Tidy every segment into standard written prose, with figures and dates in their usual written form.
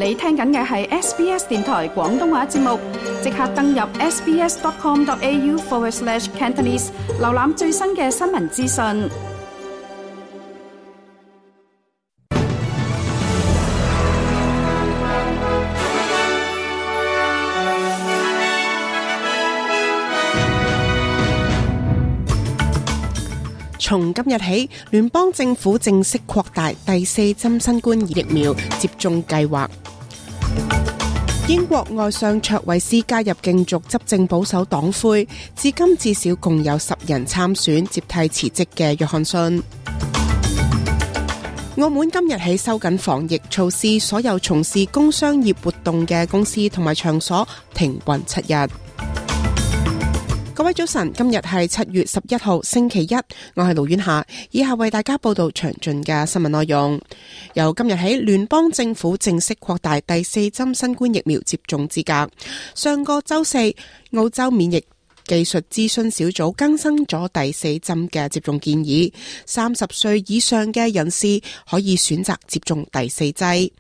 你聽緊嘅係 SBS 電台廣東話節目，即刻登入 sbs.com.au/Cantonese 瀏覽最新嘅新聞資訊。從今日起，聯邦政府正式擴大第4針新冠疫苗接種計劃。英國外相卓慧思加入競逐執政保守黨魁，至今至少共有10人參選，接替辭職嘅約翰遜。澳門今日起收緊防疫措施，所有從事工商業活動嘅公司同埋場所停運7日。各位早晨，今日係7月11號星期一，我係盧婉霞，以下為大家報道詳盡嘅新聞內容。由今日起，聯邦政府正式擴大第4針新冠疫苗接種資格。上個周四，澳洲免疫技術諮詢小組更新咗第4針嘅接種建議，30歲以上嘅人士可以選擇接種第4劑。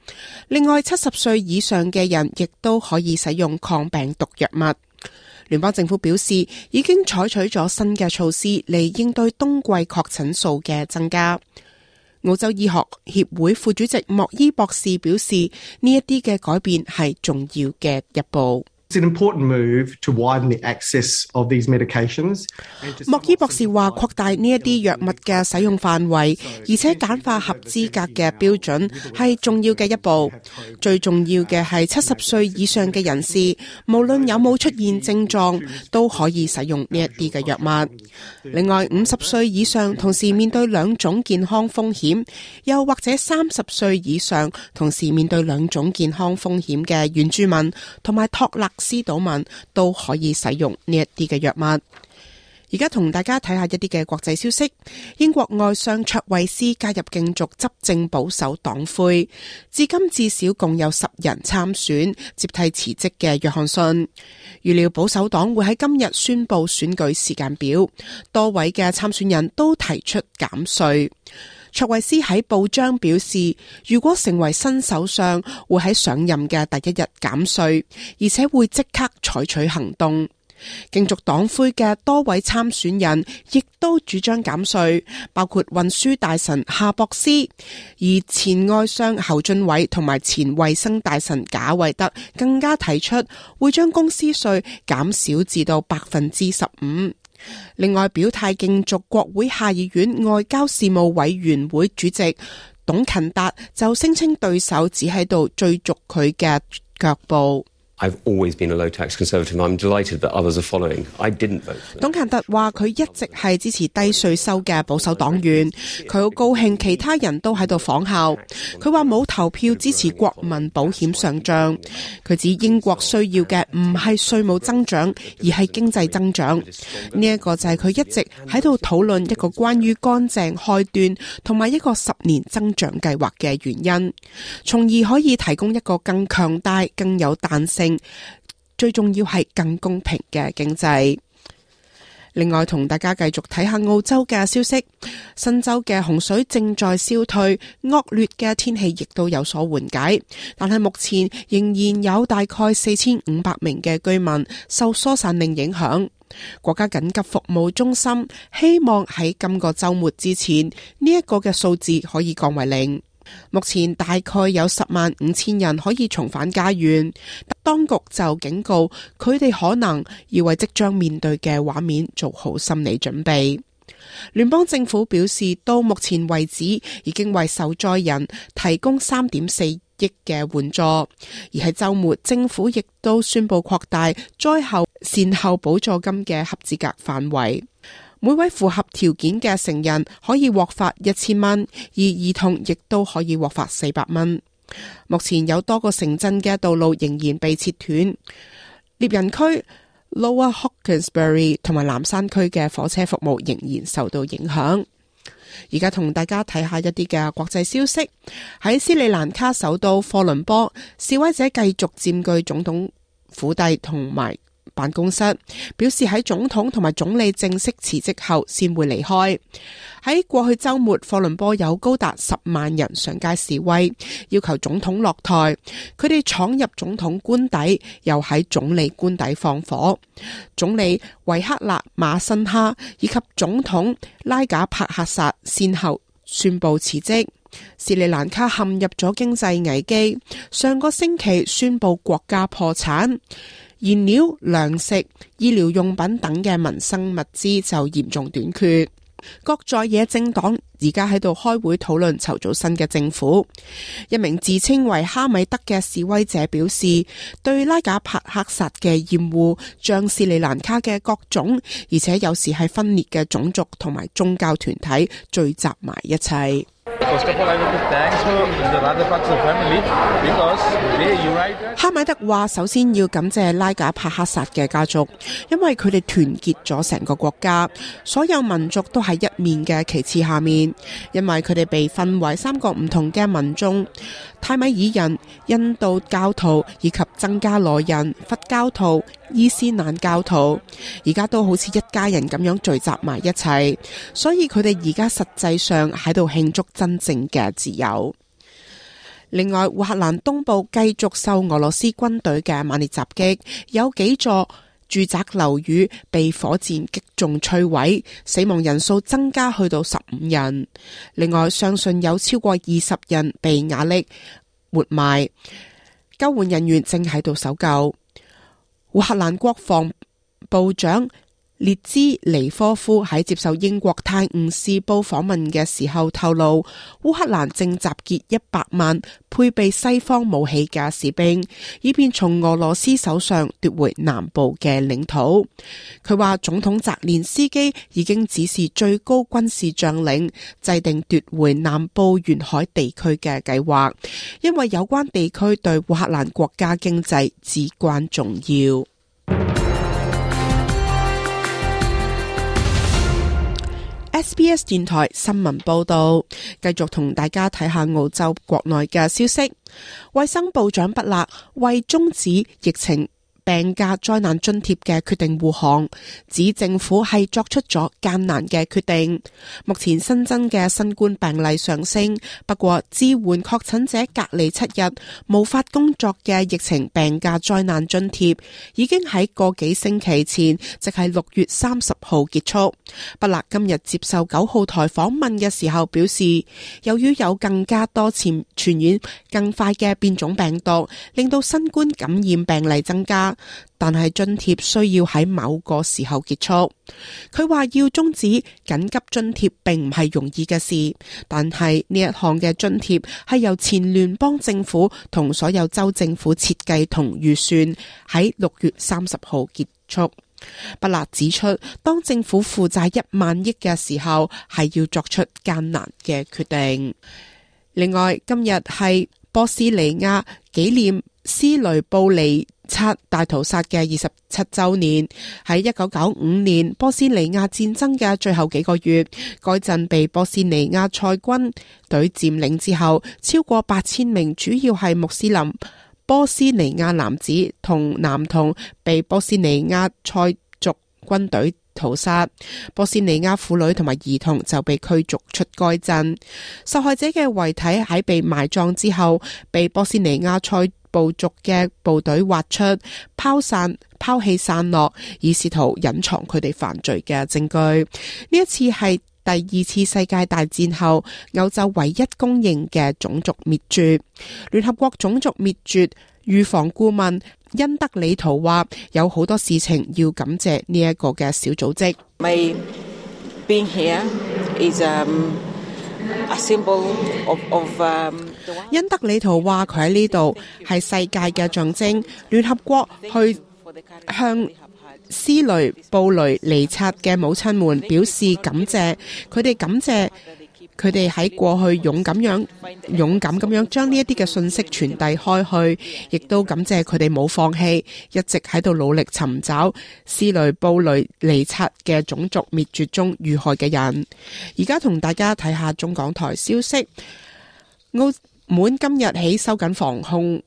另外，70歲以上嘅人亦都可以使用抗病毒藥物。聯邦政府表示，已經採取咗新嘅措施嚟應對冬季確診數嘅增加。澳洲醫學協會副主席莫伊博士表示，呢一啲嘅改變係重要嘅一步。It's an important move to widen the access of these medications. 莫伊博士話，擴大呢一啲藥物嘅使用範圍，而且簡化合資格嘅標準係重要嘅一步。最重要嘅係70歲以上嘅人士，無論有冇出現症狀，都可以使用呢一啲嘅藥物。另外，50歲以上同時面對2種健康風險，又或者30歲以上同時面對2種健康風險嘅原住民同埋托勒斯島民都可以使用呢一啲嘅藥物。而家同大家睇下一啲嘅國際消息。英國外相卓慧思加入競逐執政保守黨魁，至今至少共有10人參選，接替辭職嘅約翰遜。預料保守黨會喺今日宣布選舉時間表，多位嘅參選人都提出減稅。卓慧思喺報章表示，如果成為新首相，會喺上任嘅第一日減稅，而且會即刻採取行動。競逐黨魁嘅多位參選人亦都主張減稅，包括運輸大臣夏博斯，而前外相侯俊偉同埋前衛生大臣賈維德更加提出會將公司稅減少至到15%。另外，表態競逐國會下議院外交事務委員會主席董勤達就聲稱對手只喺度追逐佢嘅腳步。I've always been a low tax conservative. I'm delighted that others are following. I didn't vote for them. 董勤達話佢一直係支持低稅收嘅保守黨員，佢好高興其他人都喺度仿效。佢話冇投票支持國民保險上漲。佢指英國需要嘅唔係稅務增長，而係經濟增長。呢一個就係佢一直喺度討論一個關於乾淨開端同埋一個10年增長計劃嘅原因，從而可以提供一個更強大、更有彈性，最重要係更公平嘅經濟。另外，同大家繼續睇下澳洲嘅消息。新州嘅洪水正在消退，惡劣嘅天氣亦都有所緩解，但係目前仍然有大概4500名嘅居民受疏散令影響。國家緊急服務中心希望喺今個週末之前，呢一個嘅數字可以降為0。目前大概有105000人可以重返家園，當局就警告佢哋可能要為即將面對嘅畫面做好心理準備。聯邦政府表示，到目前為止已經為受災人提供3.4億嘅援助，而喺週末政府亦都宣布擴大災後善後補助金嘅合資格範圍。每位符合條件嘅成人可以獲發1000蚊，而兒童亦都可以獲發400蚊。目前有多個城鎮嘅道路仍然被切斷，獵人區、Lower Hawkesbury 同埋南山區嘅火車服務仍然受到影響。而家同大家睇下一啲嘅國際消息。喺斯里蘭卡首都科倫坡，示威者繼續佔據總統府邸同埋辦公室，表示喺總統同埋總理正式辭職後先會離開。喺過去週末，科倫坡有高達10萬人上街示威，要求總統落台。佢哋闖入總統官邸，又喺總理官邸放火。總理維克勒馬辛哈以及總統拉賈帕克薩先後宣布辭職。斯里蘭卡陷入咗經濟危機，上個星期宣布國家破產，燃料、糧食、醫療用品等嘅民生物資就嚴重短缺。各在野政黨而家喺度開會討論籌組新嘅政府。一名自稱為哈米德嘅示威者表示，對拉賈帕克薩嘅厭惡將斯里蘭卡嘅各種，而且有時係分裂嘅種族同埋宗教團體聚集埋一齊。哈米德話：首先要感謝拉賈帕克薩嘅家族，因為佢哋團結咗成個國家，所有民族都喺一面嘅旗幟下面。因為佢哋被分為3個唔同嘅民眾：泰米爾人、印度教徒以及僧伽羅人、佛教徒、伊斯蘭教徒，而家都好似一家人咁樣聚集埋一齊，所以佢哋而家實際上喺度慶祝真正嘅自由。另外，烏克蘭東部繼續受俄羅斯軍隊嘅猛烈襲擊，有幾座住宅樓宇被火箭擊中摧毀，死亡人數增加去到15人。另外，相信有超過20人被瓦礫活埋，救援人員正喺度搜救。烏克蘭國防部長列茲尼科夫喺接受英國《泰晤士報》訪問嘅時候透露，烏克蘭正集結100萬配備西方武器嘅士兵，以便從俄羅斯手上奪回南部嘅領土。佢話總統澤連斯基已經指示最高軍事將領制定奪回南部沿海地區嘅計劃，因為有關地區對烏克蘭國家經濟至關重要。SBS 電台新聞報道，繼續同大家睇下澳洲國內嘅消息。衛生部長畢勒為終止疫情病假災難津貼嘅決定護航，指政府係作出咗艱難嘅決定。目前新增嘅新冠病例上升，不過支援確診者隔離7日無法工作嘅疫情病假災難津貼已經喺個幾星期前，即係6月30號結束。畢勒今日接受9號台訪問嘅時候表示，由於有更加多傳染更快嘅變種病毒，令到新冠感染病例增加，但係津貼需要喺某個時候結束。佢話要終止緊急津貼並唔係容易嘅事，但係呢一項嘅津貼係由前聯邦政府同所有州政府設計同預算，喺6月30號結束。畢勒指出，當政府負債1萬億嘅時候，係要作出艱難嘅決定。另外，今日係波斯尼亞紀念斯雷布尼察大屠殺嘅27週年。喺1995年波斯尼亞戰爭嘅最後幾個月，該鎮被波斯尼亞塞軍隊佔領之後，超過8000名主要係穆斯林波斯尼亞男子同男童被波斯尼亞塞族軍隊屠殺，波斯尼亞婦女同埋兒童就被驅逐出該鎮。受害者嘅遺體喺被埋葬之後，被波斯尼亞塞部族嘅部隊挖出、拋棄散落，以試圖隱藏佢哋犯罪嘅證據。呢一次係第2次世界大戰後歐洲唯一公認嘅種族滅絕。聯合國種族滅絕預防顧問恩德里圖話，有好多事情要感謝呢一個嘅小組織。My being here is a symbol of恩德里圖話佢喺呢度係世界嘅象徵，聯合國去向斯雷布雷尼察嘅母親們表示感謝，佢哋感謝佢哋喺過去勇敢咁樣將呢一啲嘅信息傳遞開去，亦都感謝佢哋冇放棄，一直喺度努力尋找斯雷布雷尼察嘅種族滅絕中遇害嘅人。而家同大家睇下中港台消息，澳門今日起收緊防控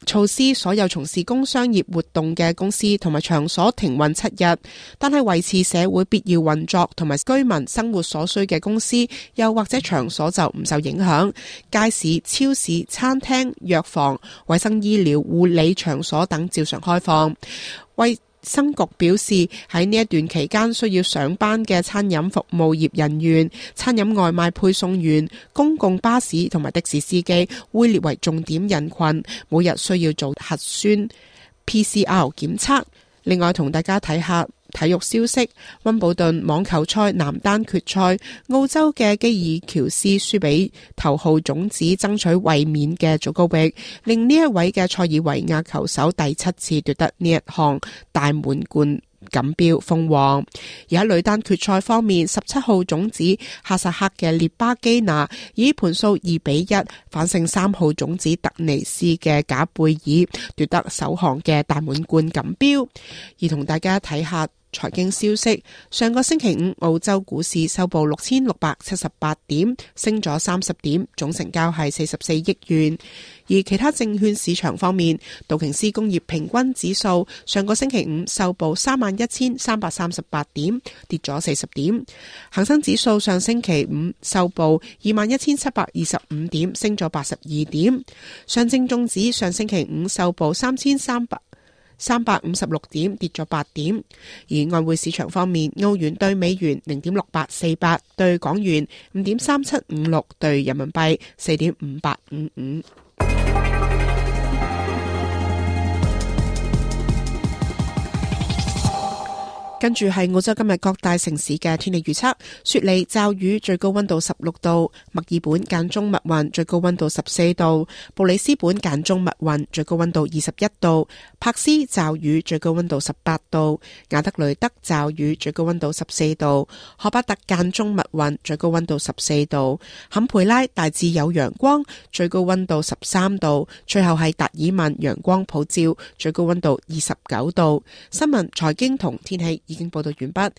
措施所有從事工商業活動嘅公司同埋場所停運7日，但係維持社會必要運作同埋居民生活所需嘅公司又或者場所就唔受影響。街市、超市、餐廳、藥房、衛生醫療、護理場所等照常開放。衛生局表示，喺呢一段期間需要上班嘅餐飲服務業人員、餐飲外賣配送員、公共巴士同埋的士司機會列為重點人群，每日需要做核酸 PCR 檢測。另外同大家睇下體育消息，溫布頓網球賽男單決賽，澳洲嘅基爾喬斯輸俾頭號種子爭取衛冕嘅祖高域，令呢一位嘅塞爾維亞球手第7次奪得呢一項大滿貫錦標封王。而喺女單決賽方面，17號種子哈薩克嘅列巴基娜以盤數2-1反勝3號種子特尼斯嘅賈貝爾，奪得首項嘅大滿貫錦標。而同大家睇下財經消息，上個星期五澳洲股市收報6678點，升咗30點，總成交係44億元。而其他證券市場方面，道瓊斯工業平均指數上個星期五收報31,338點，跌咗40點。恒生指數上星期五收報21,725點，升咗82點。上證綜指上星期五收報3,356點，跌咗8點。而外匯市場方面，澳元對美元0.6848，對港元5.3756，對人民幣4.5855。跟住係澳洲今日各大城市嘅天氣預測：雪梨驟雨，最高溫度16度；墨爾本間中密雲，最高溫度14度；布里斯本間中密雲，最高溫度21度；柏斯驟雨，最高溫度18度；亞德雷德驟雨，最高溫度14度；荷巴特間中密雲，最高溫度14度；坎培拉大致有陽光，最高溫度13度；最後係達爾文陽光普照，最高溫度29度。新聞、財經同天氣已經報道完畢。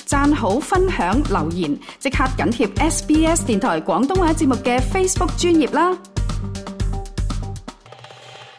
讚好、分享、留言，即刻緊貼SBS 電台廣東話節目嘅 Facebook 專頁啦！